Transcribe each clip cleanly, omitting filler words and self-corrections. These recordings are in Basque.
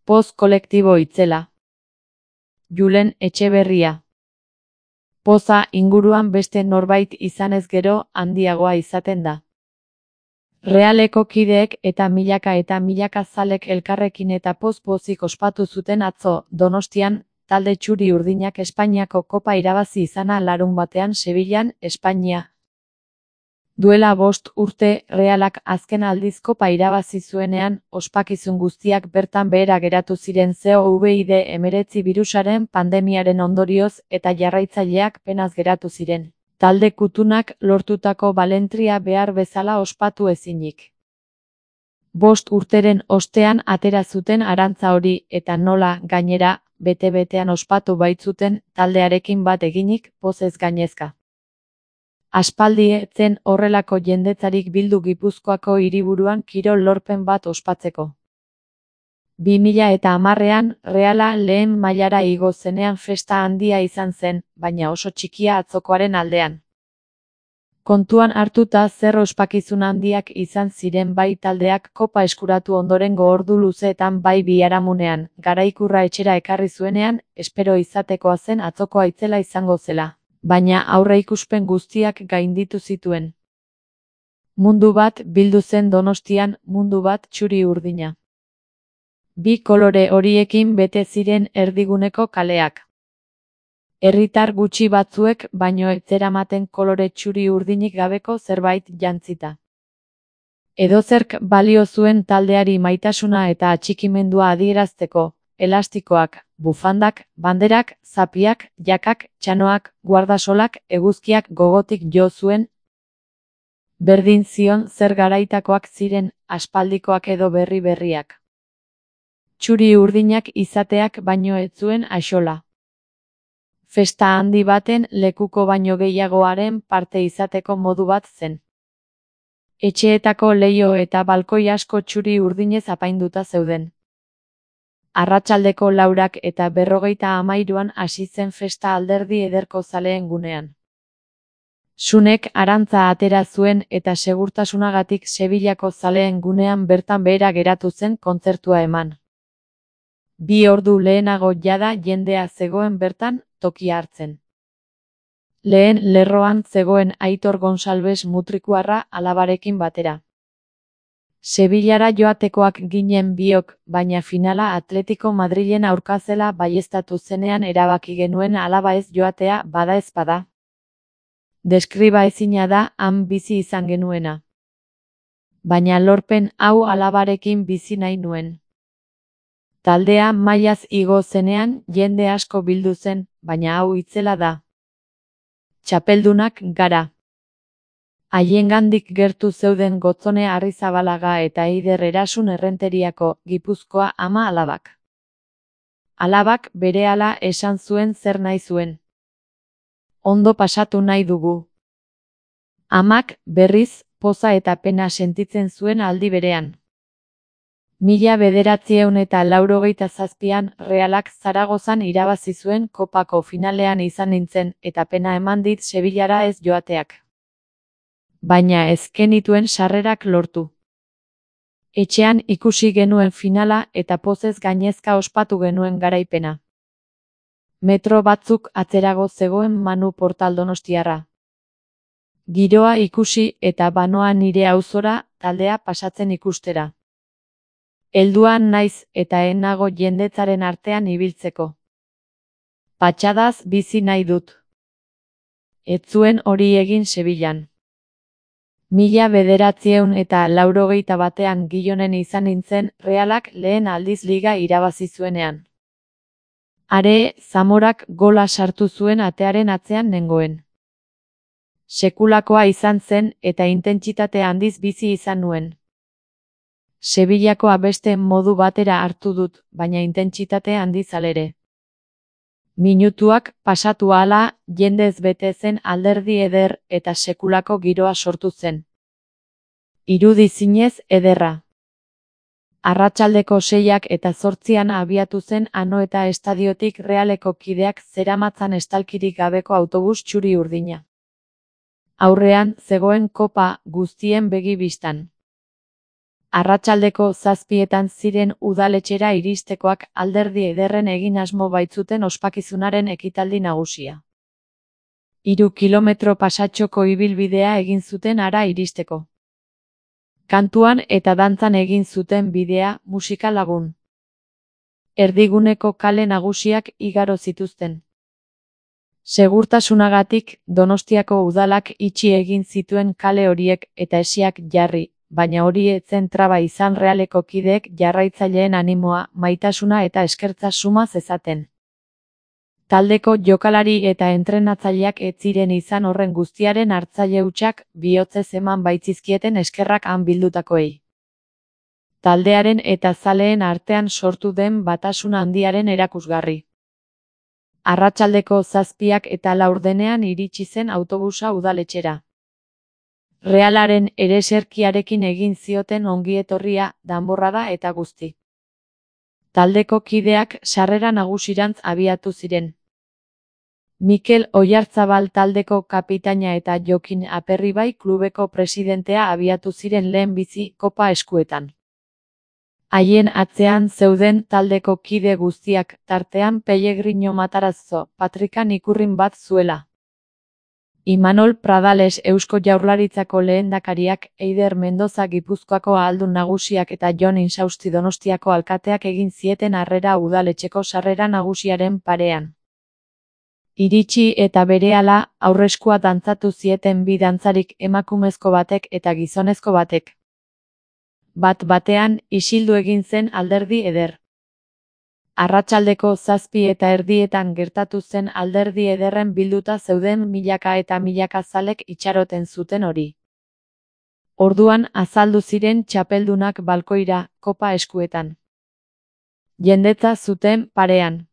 Poz kolektibo itzela. Julen Etxeberria. Poza inguruan beste norbait izanez gero handiagoa izaten da. Realeko kideek eta milaka zalek elkarrekin eta poz-pozik ospatu zuten atzo, Donostian, talde txuri-urdinak Espainiako kopa irabazi izana larunbatean Sevillan, Espainia. Duela 5 urte, Realak azken aldiz kopa irabazi zuenean, ospakizun guztiak bertan behera geratu ziren COVID-19 birusaren pandemiaren ondorioz eta jarraitzaileak penaz geratu ziren. Talde kutunak lortutako balentria behar bezala ospatu ezinik. 5 urteren ostean atera zuten arantza hori eta nola, gainera, bete-betean ospatu baitzuten taldearekin bat eginik, pozez gainezka. Aspaldi ez zen horrelako jendetzarik bildu Gipuzkoako hiriburuan kirol lorpen bat ospatzeko. 2010ean, Reala lehen mailara igo zenean festa handia izan zen, baina oso txikia atzokoaren aldean. Kontuan hartuta zer ospakizun handiak izan ziren bai taldeak kopa eskuratu ondorengo ordu luzeetan bai biharamunean, Garaikurra etxera ekarri zuenean, espero izatekoa zen atzokoa itzela izango zela, baina aurreikuspen guztiak gainditu zituen. Mundu bat bildu zen Donostian, mundu bat txuri-urdina. 2 kolore horiekin bete ziren erdiguneko kaleak. Herritar gutxi batzuek baino ez zeramaten kolore txuri-urdinik gabeko zerbait jantzita. Edozerk balio zuen taldeari maitasuna eta atxikimendua adierazteko, elastikoak, bufandak, banderak, zapiak, jakak, txanoak, guardasolak, eguzkiak gogotik jo zuen. Berdin zion zer garaitakoak ziren, aspaldikoak edo berriak. Txuri-urdinak izateak baino ez zuen axola. Festa handi baten lekuko baino gehiagoaren parte izateko modu bat zen. Etxeetako leiho eta balkoi asko txuri-urdinez apainduta zeuden. Arratsaldeko 4 eta 53an hasi zen festa Alderdi Ederko zaleen gunean. Sunek arantza atera zuen eta segurtasunagatik Sevillako zaleen gunean bertan behera geratu zen kontzertua eman. 2 ordu lehenago jada jendea zegoen bertan, tokia hartzen. Lehen lerroan zegoen Aitor Gonsalves mutrikuarra alabarekin batera. Sevillara joatekoak ginen biok, baina finala Atletico Madrilen aurka zela baieztatu zenean erabaki genuen alaba ez joatea bada ez bada. Deskriba ezina da han bizi izan genuena. Baina lorpen hau alabarekin bizi nahi nuen. Taldea mailaz igo zenean jende asko bildu zen, baina hau itzela da. Txapeldunak gara. Haiengandik gertu zeuden Gotzone Arrizabalaga eta Eider Erasun Errenteriako, Gipuzkoa ama alabak. Alabak berehala esan zuen zer nahi zuen. Ondo pasatu nahi dugu. Amak, berriz, poza eta pena sentitzen zuen aldi berean. 1987an Realak Zaragozan irabazi zuen kopako finalean izan nintzen eta pena eman dit Sevillara ez joateak. Baina ez genituen sarrerak lortu. Etxean ikusi genuen finala eta pozez gainezka ospatu genuen garaipena. Metro batzuk atzerago zegoen Manu Portal donostiarra. Giroa ikusi eta banoa nire auzora taldea pasatzen ikustera. Helduan naiz eta ez nago jendetzaren artean ibiltzeko. Patxadaz bizi nahi dut. Ez zuen hori egin Sevillan. 1991ean Gijonen izan nintzen Realak lehen aldiz liga irabazi zuenean. Are, Zamorak gola sartu zuen atearen atzean nengoen. Sekulakoa izan zen eta intentsitate handiz bizi izan nuen. Sevillakoa beste modu batera hartu dut, baina intentsitate handiz alere. Minutuak pasatu ahala, jendez bete zen Alderdi Eder eta sekulako giroa sortu zen. Irudi zinez ederra. Arratsaldeko 6 eta 8 abiatu zen Anoeta estadiotik Realeko kideak zeramatzan estalkirik gabeko autobus txuri-urdina. Aurrean zegoen kopa guztien begi bistan. Arratsaldeko 7etan ziren udaletxera iristekoak Alderdi Ederren egin asmo baitzuten ospakizunaren ekitaldi nagusia. 3 kilometro pasatxoko ibilbidea egin zuten hara iristeko. Kantuan eta dantzan egin zuten bidea musika lagun. Erdiguneko kale nagusiak igaro zituzten. Segurtasunagatik Donostiako udalak itxi egin zituen kale horiek eta hesiak jarri, baina hori ez zen traba izan Realeko kideek jarraitzaileen animoa, maitasuna eta eskertza suma zezaten. Taldeko jokalari eta entrenatzaileak ez ziren izan horren guztiaren hartzaile hutsak, bihotzez eman baitzizkieten eskerrak han bildutakoei. Taldearen eta zaleen artean sortu den batasuna handiaren erakusgarri. Arratsaldeko 7:04 iritsi zen autobusa udaletxera. Realaren ereserkiarekin egin zioten ongietorria, danborrada eta guzti. Taldeko kideak sarrera nagusirantz abiatu ziren. Mikel Oyarzabal taldeko kapitaina eta Jokin Aperribai klubeko presidentea abiatu ziren lehenbizi kopa eskuetan. Haien atzean zeuden taldeko kide guztiak, tartean Pellegrino Matarazzo, patrikan ikurrin bat zuela. Imanol Pradales Eusko Jaurlaritzako lehendakariak, Eider Mendoza Gipuzkoako ahaldun nagusiak eta Jon Insausti Donostiako alkateak egin zieten harrera udaletxeko sarrera nagusiaren parean. Iritsi eta berehala aurreskua dantzatu zieten bi dantzarik, emakumezko batek eta gizonezko batek. Bat-batean isildu egin zen Alderdi Eder. Arratsaldeko 7:30 gertatu zen Alderdi Ederren bilduta zeuden milaka eta milaka zalek itxaroten zuten hori. Orduan azaldu ziren txapeldunak balkoira, kopa eskuetan. Jendetza zuten parean.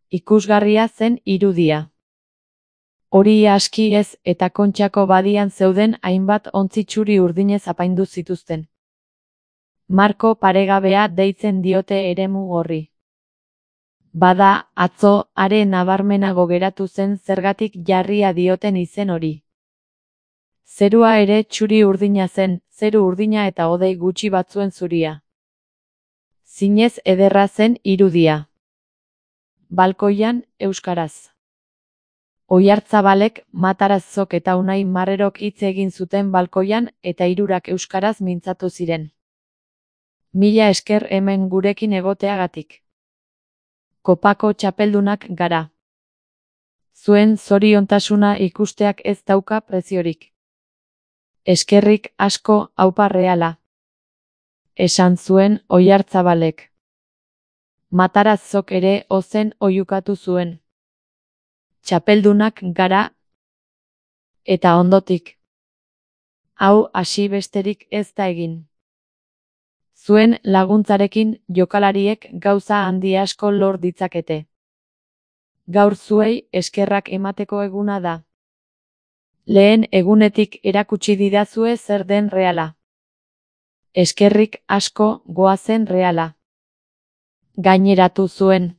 Ikusgarria zen irudia. Hori aski ez eta Kontxako badian zeuden hainbat ontzi txuri urdinez apaindu zituzten. Marko paregabea deitzen diote eremu horri. Bada, atzo, are nabarmenago geratu zen zergatik jarria dioten izen hori. Zerua ere txuri urdina zen, zeru urdina eta hodei gutxi batzuen zuria. Zinez ederra zen irudia. Balkoian, euskaraz. Oyartzabalek, Matarazzok eta Unai Marrerok hitz egin zuten balkoian eta hirurak euskaraz mintzatu ziren. Mila esker hemen gurekin egoteagatik. Kopako txapeldunak gara. Zuen zoriontasuna ikusteak ez dauka preziorik. Eskerrik asko, aupa Reala. Esan zuen Oyartzabalek. Matarazzok ere ozen oihukatu zuen. Txapeldunak gara. Eta ondotik. Hau hasi besterik ez da egin. Zuen laguntzarekin jokalariek gauza handi asko lor ditzakete. Gaur zuei eskerrak emateko eguna da. Lehen egunetik erakutsi didazue zer den Reala. Eskerrik asko, goazen Reala. Gaineratu zuen.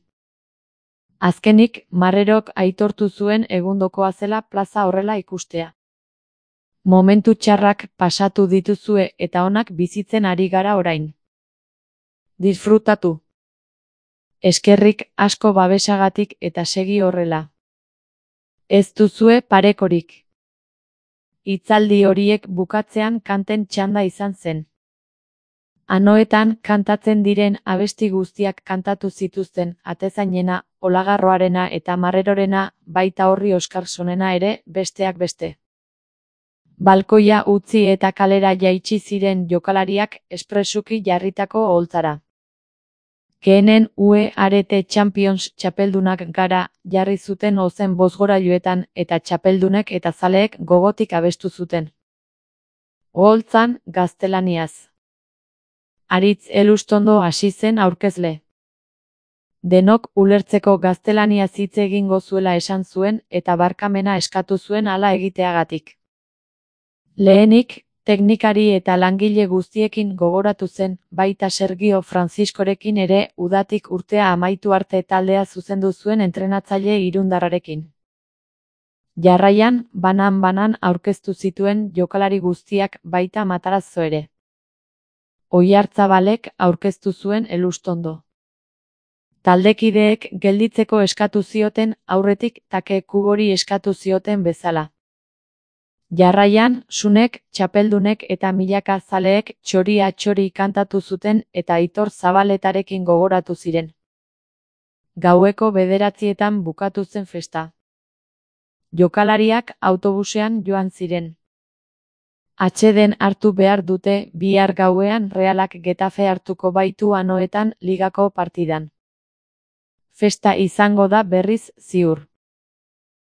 Azkenik, Marrerok aitortu zuen egundokoa zela plaza horrela ikustea. Momentu txarrak pasatu dituzue eta onak bizitzen ari gara orain. Disfrutatu. Eskerrik asko babesagatik eta segi horrela. Ez duzue parekorik. Hitzaldi horiek bukatzean kanten txanda izan zen. Anoetan kantatzen diren abesti guztiak kantatu zituzten, atezainena, Olagarroarena eta Marrerorena, baita horri Oskarsonena ere, besteak beste. Balkoia utzi eta kalera jaitsi ziren jokalariak espresuki jarritako oholtzara. Keenen UE Arete Champions txapeldunak gara, jarri zuten ozen bozgorailuetan eta txapeldunek eta zaleek gogotik abestu zuten. Oholtzan, gaztelaniaz. Aritz Elustondo hasi zen aurkezle. Denok ulertzeko gaztelaniaz hitz egingo zuela esan zuen eta barkamena eskatu zuen hala egiteagatik. Lehenik, teknikari eta langile guztiekin gogoratu zen, baita Sergio Franciscorekin ere udatik urtea amaitu arte taldea zuzendu zuen entrenatzaile irundarrarekin. Jarraian, banan-banan aurkeztu zituen jokalari guztiak baita Matarazzo ere. Oiartzabalek aurkeztu zuen Elustondo. Taldekideek gelditzeko eskatu zioten aurretik Take Kubori eskatu zioten bezala. Jarraian, Sunek, txapeldunek eta milaka zaleek txori-atxori kantatu zuten eta Aitor Zabaletarekin gogoratu ziren. Gaueko 9:00 bukatu zen festa. Jokalariak autobusean joan ziren. Atseden hartu behar dute bihar gauean Realak Getafe hartuko baitu Anoetan ligako partidan. Festa izango da berriz ziur.